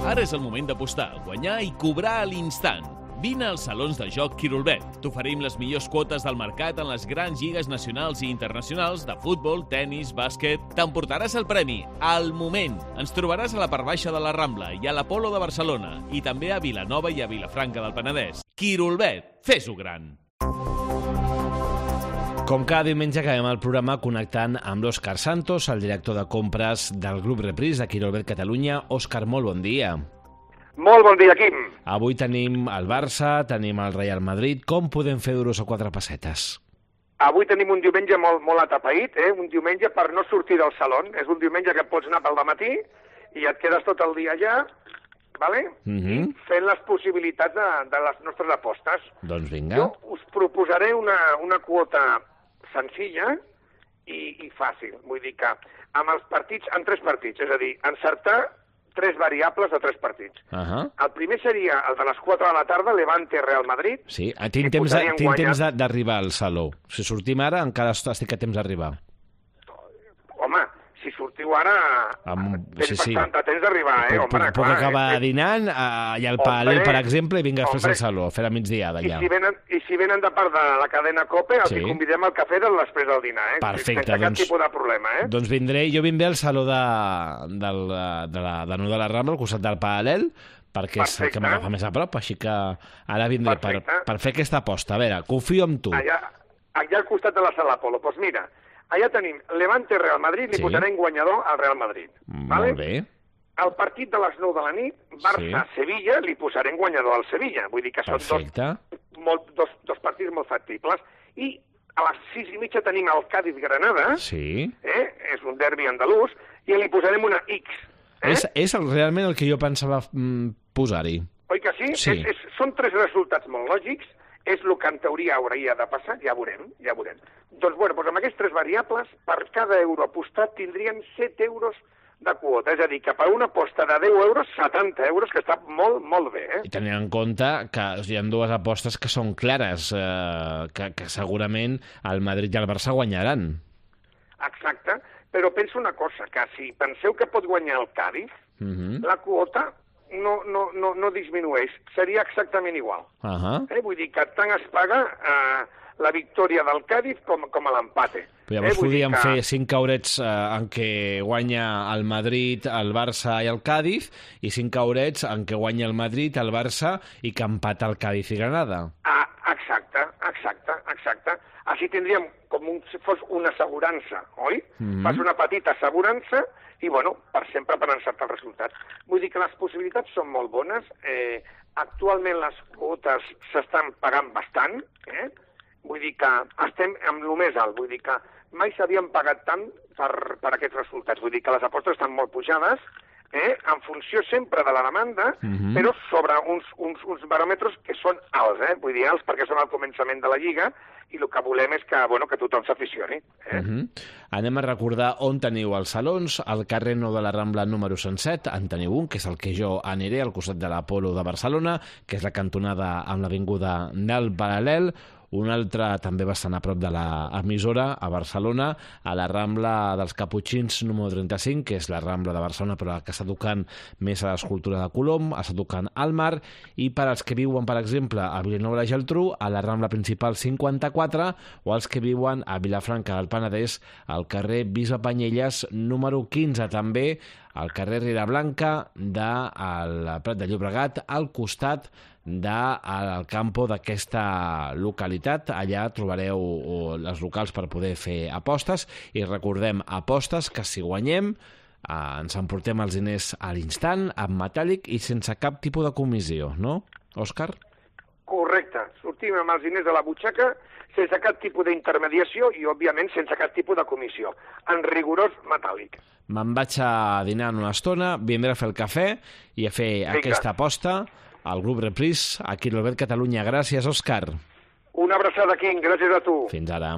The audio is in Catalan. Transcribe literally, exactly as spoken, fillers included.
Ara és el moment d'apostar, guanyar i cobrar a l'instant. Vine als salons de joc Quirolbet. T'oferim les millors quotes del mercat en les grans lligues nacionals i internacionals de futbol, tennis, bàsquet. T'emportaràs el premi al moment. Ens trobaràs a la part baixa de la Rambla i a l'Apolo de Barcelona i també a Vilanova i a Vilafranca del Penedès. Quirolbet, fes-ho gran. Com cada diumenge acabem el programa connectant amb l'Òscar Santos, el director de compres del Grup Reprise de Quirolbet Catalunya. Òscar, molt bon dia. Molt bon dia, Quim. Avui tenim el Barça, tenim el Real Madrid. Com podem fer duros a quatre pessetes? Avui tenim un diumenge molt, molt atapeït, eh? Un diumenge per no sortir del saló. És un diumenge que pots anar pel dematí i et quedes tot el dia allà, vale? Mm-hmm. fent les possibilitats de, de les nostres apostes. Doncs vinga. Jo us proposaré una, una quota senzilla i, i fàcil. Vull dir que amb els partits, en tres partits, és a dir, encertar tres variables de tres partits. Uh-huh. El primer seria el de les quatre de la tarda, Levante-Real Madrid. Sí, tinc temps, de, tinc temps de, d'arribar al saló. Si sortim ara, encara estic a temps d'arribar. Home, si sortiu ara, Am... tens sí, sí. bastant temps d'arribar, eh? Puc, Home, puc, puc clar, acabar eh? dinant allà al Paral·lel, per exemple, i vinc després al saló, a fer la migdiada allà. I si venen, i si venen de part de la cadena COPE, els sí. convidem al cafè del després del dinar, eh? Perfecte, sense doncs, cap tipus de problema, eh? Doncs vindré, jo vindré al saló de, del, de, la, de Nou de la Rambla, al costat del Paral·lel, perquè és el que m'agafa més a prop, així que ara vindré per, per fer aquesta aposta. A veure, confio en tu. Allà, allà al costat de la sala Apolo. Doncs pues mira, allà tenim Levante-Real Madrid, li sí. posarem guanyador al Real Madrid. Molt vale? bé. El partit de les nou de la nit, Barça-Sevilla, sí. li posarem guanyador al Sevilla. Vull dir que són dos, molt, dos, dos partits molt factibles. I a les sis i mitja tenim el Cádiz-Granada, sí. eh? és un derbi andalús, i li posarem una X. Eh? És, és el, realment el que jo pensava mm, posar-hi. Oi que sí? sí. És, és, són tres resultats molt lògics, és el que en teoria hauria de passar, ja veurem, ja veurem. Doncs, bueno, doncs amb aquestes tres variables, per cada euro apostat tindrien set euros de quota, és a dir, que per una aposta de deu euros, setanta euros, que està molt, molt bé, eh? I tenint en compte que hi ha dues apostes que són clares, eh, que, que segurament el Madrid i el Barça guanyaran. Exacte, però penso una cosa, que si penseu que pot guanyar el Cádiz, uh-huh. la quota no, no, no, no disminueix, seria exactament igual. Uh-huh. eh? Vull dir que tant es paga eh, la victòria del Cádiz com, com a l'empate. Però llavors eh? podríem que... fer cinc caurets eh, en què guanya el Madrid, el Barça i el Cádiz, i cinc caurets en què guanya el Madrid, el Barça i que empata el Cádiz i Granada. Ah, exacte, exacte, exacte. Així tindríem com un, si fos una assegurança, oi? Mm-hmm. Fas una petita assegurança i, bueno, per sempre per encertar els resultats. Vull dir que les possibilitats són molt bones. Eh, actualment les quotes s'estan pagant bastant, eh? Vull dir que estem amb el més alt, vull dir que mai s'havien pagat tant per, per aquests resultats. Vull dir que les apostes estan molt pujades, eh? en funció sempre de la demanda, mm-hmm. però sobre uns, uns, uns baròmetres que són alts, eh? vull dir alts perquè són al començament de la Lliga, i el que volem és que, bueno, que tothom s'aficioni. Eh? Uh-huh. Anem a recordar on teniu els salons. Al carrer Nou de la Rambla número cent set en teniu un, que és el que jo aniré, al costat de l'Apolo de Barcelona, que és la cantonada amb l'avinguda del Paral·lel. Un altre també bastant a prop de l'emissora, a Barcelona, a la Rambla dels Caputxins número trenta-cinc, que és la Rambla de Barcelona, però que està tocant més a l'escultura de Colom, està tocant al mar, i per als que viuen, per exemple, a Vilanova i la Geltrú, a la Rambla principal cinquanta-quatre, o els que viuen a Vilafranca del Penedès, al carrer Bisbe Panyelles número quinze, també al carrer Riera Blanca del Prat de Llobregat, al costat del campo d'aquesta localitat. Allà trobareu els locals per poder fer apostes, i recordem, apostes que si guanyem eh, ens emportem els diners a l'instant, en metàl·lic i sense cap tipus de comissió, no, Òscar? Correcte, sortim amb els diners de la butxaca sense cap tipus d'intermediació i, òbviament, sense cap tipus de comissió, en rigorós metàl·lic. Me'n vaig a dinar en una estona, vindré a fer el cafè i a fer Vinga. aquesta aposta al Grup Reprise, a Quirolbet Catalunya. Gràcies, Òscar. Una abraçada, Quim. Gràcies a tu. Fins ara.